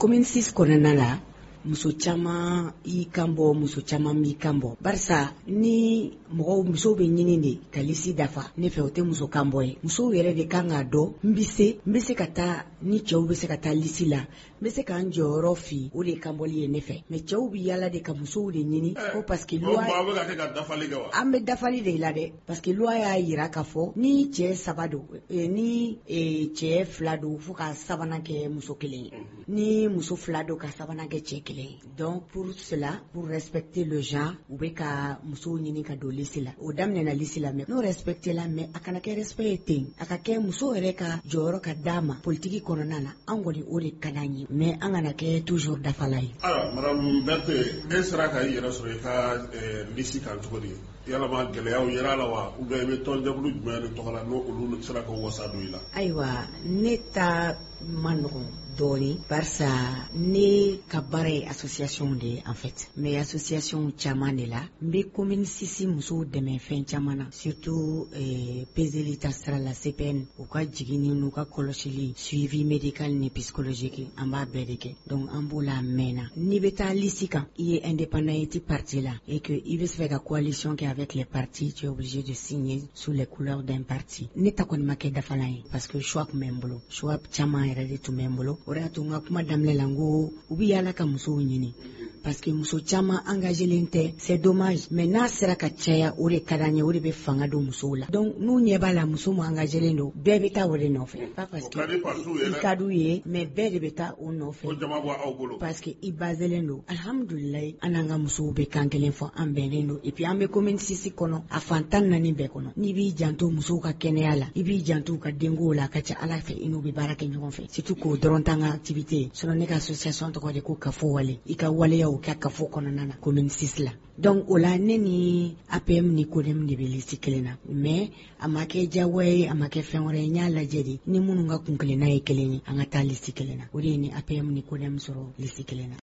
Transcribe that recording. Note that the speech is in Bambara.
Commune 6 kɔnɔna la, muso caman y'i kan bɔ, muso caman m'i kan bɔ, barisa ni mɔgɔw, musow bɛ ɲini de ka liste dafa ne fɛ, o tɛ muso kan bɔ ye. Musow yɛrɛ de kan k'a dɔn n bɛ se ka taa ni cɛw bɛ se ka taa liste la, n bɛ se k'an jɔyɔrɔ fi. O de ye kanbɔli ye ne fɛ. Mais cɛw bɛ yala de ka musow de ɲini ko parce que loi An bɛ dafali de la dɛ, parce que loi y'a yira k'a fɔ ni cɛ saba don, ni cɛ fila don, fo ka sabanan kɛ muso kelen ye, ni muso fila don, ka sabanan kɛ cɛ kelen ye. Donc pour cela, pour respecter le genre, u bɛ ka musow ɲini ka don liste la. O daminɛna liste la, mais n'o respecter la, mais a kana kɛ respect ye ten, a ka kɛ muso yɛrɛ ka jɔyɔrɔ ka d'a ma politique kɔnɔna na. An kɔni, o de ka d'an ye, mais an kana kɛ toujours dafala ye. Ayiwa, madame Berthe, e sera ka i yɛrɛ sɔrɔ i ka liste kan cogo di? Yalama gɛlɛyaw yera la wa, ou bien i bɛ tɔnjɛkulu jumɛn de tɔgɔ la, n'o olu sera ka wasa don i la? Ayiwa, ne ta ma nɔgɔn dɔɔni, barisa ne ka baara ye association de ye en fait. N bɛ association caman de la. N bɛ commune 6 musow dɛmɛ fɛn caman na, surtout peseli ta sira la, CPN, u ka jiginni n'u ka kɔlɔsili, suivi médical ni psychologique, an b'a bɛɛ de kɛ. Donc an b'o la a mɛnna. N'i bɛ taa liste kan, i ye indépendant, i tɛ parti la, et que i bɛ fɛ ka coalition kɛ avec les partis, tu es obligé de signer sous les couleurs d'un parti. Ne ta kɔni ma kɛ dafalan ye, parce que choix tun bɛ n bolo, choix caman yɛrɛ de tun bɛ n bolo. O de y'a to n ka kuma daminɛ la, n ko u bɛ yaala ka musow ɲini, parce que muso caman engagé len tɛ. C'est dommage, mais n'a sera ka caya, o de ka d'an ye, o de bɛ fanga don musow la. Donc n'u ɲɛ b'a la muso min engagé len don, bɛɛ bɛ taa o de nɔfɛ, pas parce que i ka d'u ye, mais bɛɛ de bɛ taa o nɔfɛ, parce que i basé len don. Alhamdulilayi, an n'an ka musow bɛ kan kelen fɔ, an bɛnnen don. Et puis an bɛ commune 6 kɔnɔ, a fan 14 bɛɛ kɔnɔ. N'i b'i janto musow ka kɛnɛya la, i b'i janto u ka denkow la, a ka ca Ala fɛ, i n'u bɛ baara kɛ ɲɔgɔn fɛ, surtout k'o dɔrɔn t'an ka activité ye. Sinon ne ka association tɔgɔ de ko Kafo Wale, i ka waleyaw kɛ kafo kɔnɔna na, commune 6 la. Donc o la, ne ni APM ni CODEM de bɛ liste kelen na, mais a ma kɛ diyagoya ye, a ma kɛ fɛn wɛrɛ ye. N y'a lajɛ de, ni minnu ka kun kelenna ye kelen ye, an ka taa liste kelen na. O de ye ni APM ni CODEM sɔrɔ liste kelen na.